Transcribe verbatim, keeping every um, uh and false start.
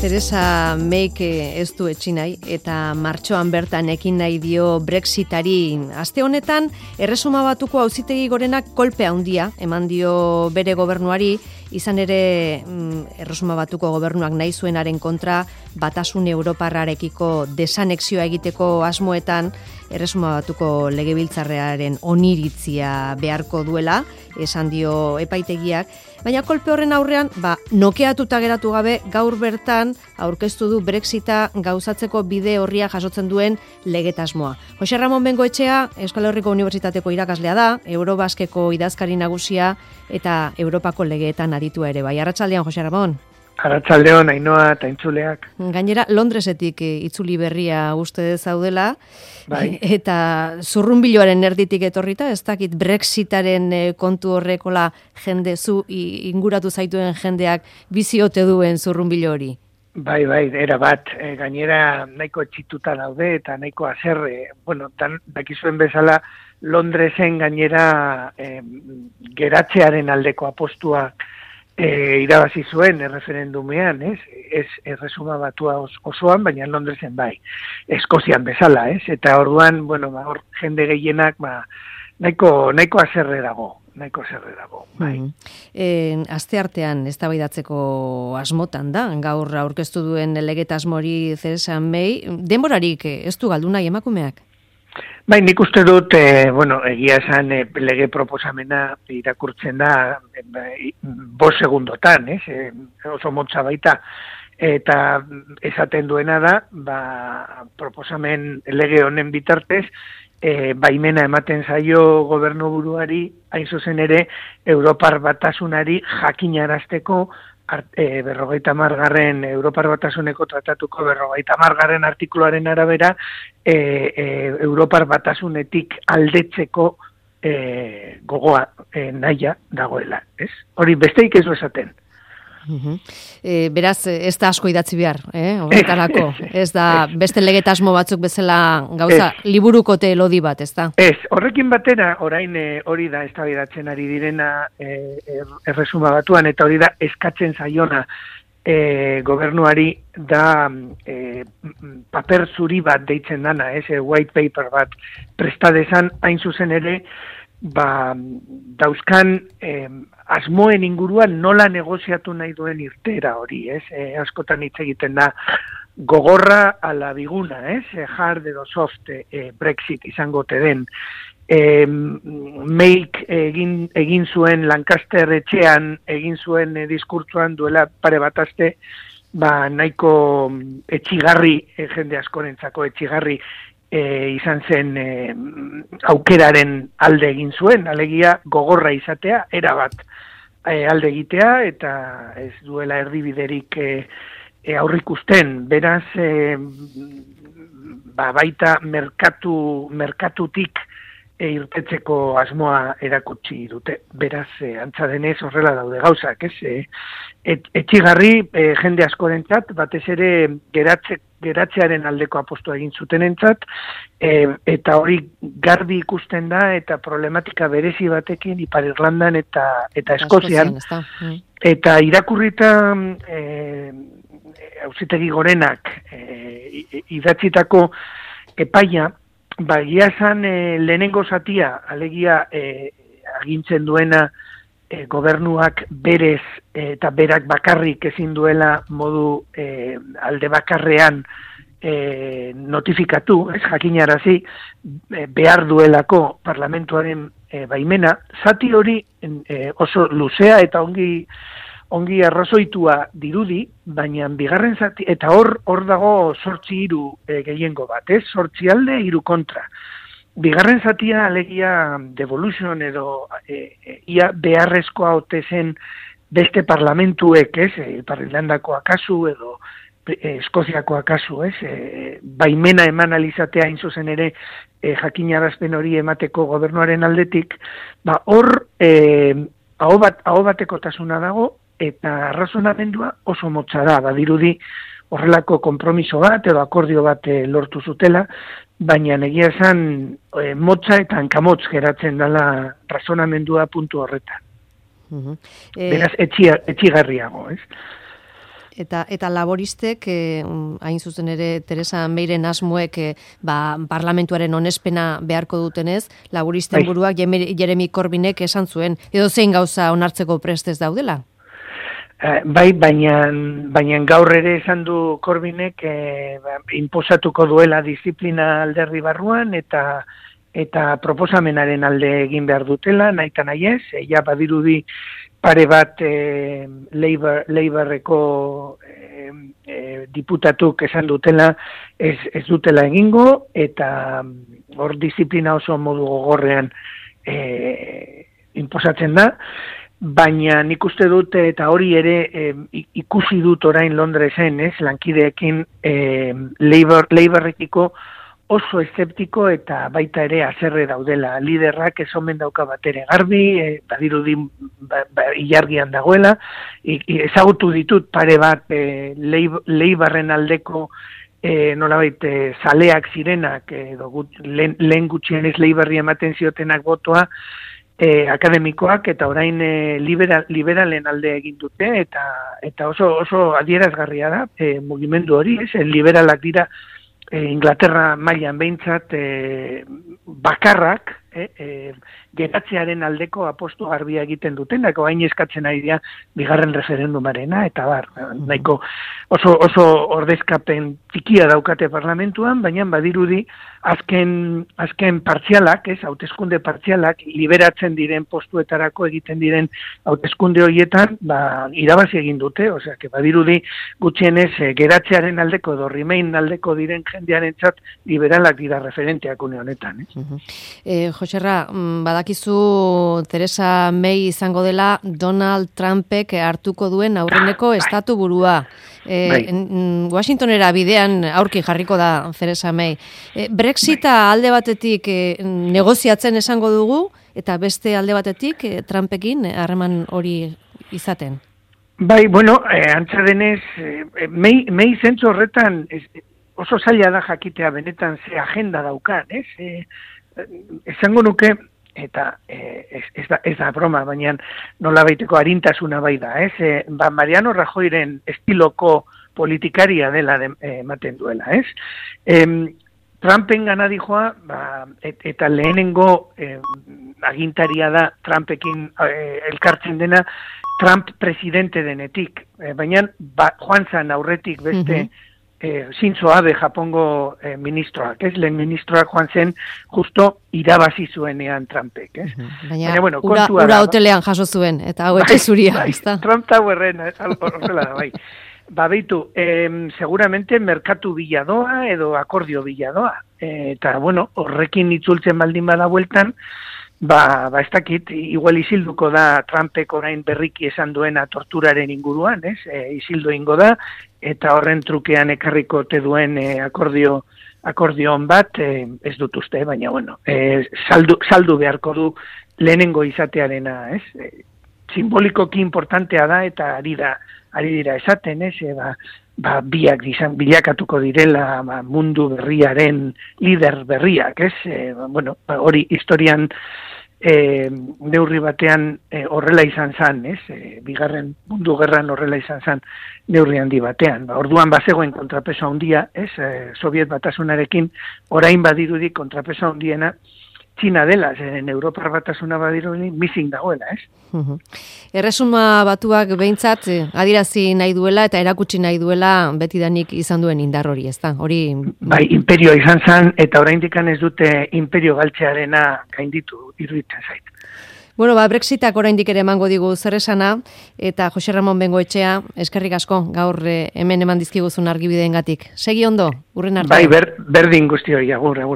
Theresa Mayk ez du etsi nahi eta martxoan bertan ekin nahi dio Brexitari. Aste honetan, Erresuma Batuko Auzitegi Gorenak kolpe handia eman dio bere gobernuari, izan ere Erresuma Batuko gobernuak nahi zuenaren kontra Batasun Europarrarekiko desanexioa egiteko asmoetan Erresuma Batuko Legebiltzarrearen oniritzia beharko duela, esan dio epaitegiak, baina kolpe horren aurrean, ba, nokeatuta geratu gabe gaur bertan aurkeztu du Brexita gauzatzeko bide horria jasotzen duen legetasmoa. Jose Ramon Bengoetxea, Euskal Herriko Unibertsitateko irakaslea da, Eurobaskeko idazkari nagusia eta Europako legeetan aditua ere bai. Arratsaldean, Jose Ramon. Arratsaldeon, Ainhoa eta entzuleak. Gainera, Londresetik itzuli berria uste zaudela, bai. Eta zurrunbiloaren erditik etorrita, ez dakit Brexitaren kontu horrekola jende zu inguratu zaituen jendeak biziote duen zurrunbilo hori. Bai, bai, era bat, e, gainera nahiko etxituta daude eta nahiko azerre, bueno, tan, dakizuen bezala Londresen gainera e, geratzearen aldeko apostuak E, irabazi zuen erreferendumean, ez? Ez Erresuma Batua osoan, baina Londresen bai. Eskozian bezala, ez? Eta orduan, bueno, ba, hor jende gehienak, ba, nahiko, nahiko azerre dago, nahiko azerre dago, bai. Mm. E, aste artean eztabaidatzeko asmotan da, gaur aurkeztu duen legetasmori Theresa May, denborarik ez du galdu nahi emakumeak? Bai, nik uste dut, e, bueno, egia esan e, lege proposamena irakurtzen da e, bost segundotan, ez? E, oso motza baita. Eta esaten duena da, ba, proposamen lege honen bitartez, e, baimena ematen zaio gobernuburuari, hain zuzen ere, Europar Batasunari jakinarazteko E, berrogeita margarren Europar Batasuneko tratatuko berrogeita margarren artikuluaren arabera e, e, Europar Batasunetik aldetzeko e, gogoa e, nahia dagoela, ez? Hori besteik ez du esaten. Uh-huh. E, beraz, ez da asko idatzi behar, eh? Horretarako. Ez da beste legetasmo batzuk bezala gauza ez. Liburukote lodi bat, ez da? Ez, horrekin batera, orain e, hori da eztabaidatzen ari direna e, Erresuma Batuan, eta hori da eskatzen zaiona e, gobernuari da e, paper zuri bat deitzen dana, ez, e, white paper bat prestadezan, hain zuzen ere, ba, dauzkan e, asmoen inguruan nola negoziatu nahi duen irtera hori, ez? E, askotan hitz egiten da gogorra ala biguna, ez? E, hard edo soft e, Brexit izango te den. E, Mayk egin, egin zuen Lancaster etxean, egin zuen e, diskurtsoan duela pare bat aste, ba, nahiko etxigarri, e, jende askorentzako etxigarri, E, izan zen e, aukeraren alde egin zuen, alegia gogorra izatea, erabat e, alde egitea, eta ez duela erdibiderik e, e, aurrikusten. Beraz, e, ba, baita merkatu, merkatutik e, irtetzeko asmoa erakutsi dute. Beraz, e, antza denez horrela daude gauzak, ez? E, et, etxigarri e, jende askorentzat, batez ere geratze geratzearen aldeko apostu egin zutenentzat, e, eta hori garbi ikusten da, eta problematika berezi batekin Ipar Irlandan eta eta Eskozian. Mm. Eta irakurrita e, Auzitegi Gorenak e, idatzitako epaia, ba, egia esan e, lehenengo zatia, alegia e, agintzen duena E, gobernuak berez e, eta berak bakarrik ezin duela modu e, alde bakarrean e, notifikatu, ez jakinarazi, e, behar duelako parlamentuaren e, baimena, zati hori e, oso luzea eta ongi ongi arrazoitua dirudi, baina bigarren zati, eta hor hor dago zortzi hiru e, gehiengo bat, ez? Zortzi alde, hiru kontra. Bigarren zatia alegia devolution edo e, e, ia beharrezkoa ote zen beste parlamentuek, ez, e, Ipar Irlandakoa kasu edo e, Eskoziakoa kasu, ez, e, baimena eman alizatea hain zuzen ere e, jakinarazpen hori emateko gobernuaren aldetik, ba hor e, aho bat, aho batekotasuna dago eta arrazonamendua oso motza da, badirudi horrelako konpromiso bat edo akordio bat e, lortu zutela, baina egia esan e, motza eta hankamotz geratzen dela razonamendua puntu horretan. Uh-huh. E... Beraz, etxia, etxigarriago, ez? Eta eta laboristek, eh, hain zuzen ere Teresa Meiren asmoek eh, ba, parlamentuaren onespena beharko dutenez, laboristen bai. buruak Jeremy Corbynek esan zuen, edo zein gauza onartzeko prestez daudela? Uh, bai, baina, baina gaur ere esan du Corbynek eh, ba, inposatuko duela disiplina alderdi barruan eta eta proposamenaren alde egin behar dutela, nahi eta nahi ez, ja badirudi pare bat eh, Labor, Laborreko eh, eh, diputatuk esan dutela ez, ez dutela egingo, eta hor disiplina oso modu gogorrean eh, imposatzen da, baina nik uste dut eta hori ere eh, ikusi dut orain Londresen, ez, lankideekin eh, Labor, Laborrekiko oso eszeptiko eta baita ere haserre daudela. Liderrak ez omen dauka bat ere garbi, e, badirudi ba, ba, ilargian dagoela, I, ezagutu ditut pare bat e, Leibarren aldeko e, nolabait e, zaleak zirenak, edo gut, lehen, lehen gutxien ez Leibarri ematen ziotenak botoa, e, akademikoak, eta orain e, liberal, liberalen alde egin dute, eta, eta oso, oso adierazgarria da, e, mugimendu hori, ez, e, liberalak dira, Inglaterra mailan behintzat e, bakarrak e, e, geratzearen aldeko apostu garbia egiten dutenak, oain eskatzen ari dira bigarren referendumarena, eta bar, nahiko oso, oso ordezkapen txikia daukate parlamentuan, baina badirudi azken, azken partzialak, ez, hauteskunde partzialak, liberatzen diren postuetarako egiten diren hauteskunde horietan, ba, irabazi egin dute, osea, que badirudi gutxienez e, geratzearen aldeko edo Remain aldeko diren jendearentzat liberalak dira referenteak une honetan. Eh? Uh-huh. eh, Joserra, badakizu Teresa May izango dela Donald Trumpek hartuko duen aurreneko ah, estatu burua. Eh, bai. Washingtonera bidean aurki jarriko da Teresa May. Eh, Brexita bai. alde batetik eh, negoziatzen esango dugu, eta beste alde batetik eh, Trumpekin harreman hori izaten. Bai, bueno, eh, antza denez, eh, May, May zentzu horretan ez, oso zaila da jakitea benetan ze agenda daukan, ez? Eh, esango nuke, eta eh, ez, ez, da, ez da broma, baina nola baiteko arintasuna bai da, ez? Eh, ba, Mariano Rajoyren estiloko politikaria dela ematen de, duela, ez? Eh, Trumpen gana dijoa, ba, et, eta lehenengo eh, agintaria da Trumpekin eh, elkartzen dena, Trump presidente denetik, eh, baina ba, joan zan aurretik beste, uh-huh. Eh, Shinzo Abe Japongo eh, ministroak, ez? Lehen ministroak joan zen justo irabazi zuenean Trumpek, ez? Uh-huh. Baina, Baina bueno, ura, ura hotelean jaso zuen, eta hau etxe zuria, bai, ezta? Trump Towerren, horrela da, bai. Ba, beitu, eh, seguramente merkatu biladoa edo akordio biladoa, eh, eta, bueno, horrekin itzultzen baldin bada bueltan, Ba, ba ez dakit, igual isilduko da Trumpek orain berriki esan duena torturaren inguruan, ez? E, isildu ingo da, eta horren trukean ekarriko te duen e, akordio, akordion bat, e, ez dut uste, baina, bueno, e, saldu, saldu beharko du lehenengo izatearena, ez? E, simbolikoki importantea da, eta ari da, ari dira esaten, ez? E, ba, ba, biak dizan, bilakatuko direla ba, mundu berriaren lider berriak, ez? E, ba, bueno, hori historian E, neurri batean e, horrela izan zan, ez? E, bigarren mundu gerran horrela izan zan neurri handi batean. Ba, orduan bazegoen kontrapeso handia, ez? E, Soviet batasunarekin orain badirudi kontrapeso handiena Txina dela, zeren Europar batasuna badirudi missing dagoela, ez? Uh-huh. Erresuma batuak behintzat adirazi nahi duela eta erakutsi nahi duela betidanik izan duen indar hori, ez da? Hori... Bai, imperio izan zan, eta oraindik ez dute imperio galtzearena gainditu iruditzen zait. Bueno, ba, Brexitak oraindik ere emango digu zer esana, eta Jose Ramon Bengoetxea, eskerrik asko, gaur hemen eman dizkiguzun argibideengatik. Segi ondo, urren arte. Bai, ber, berdin guzti hori, agur, agur.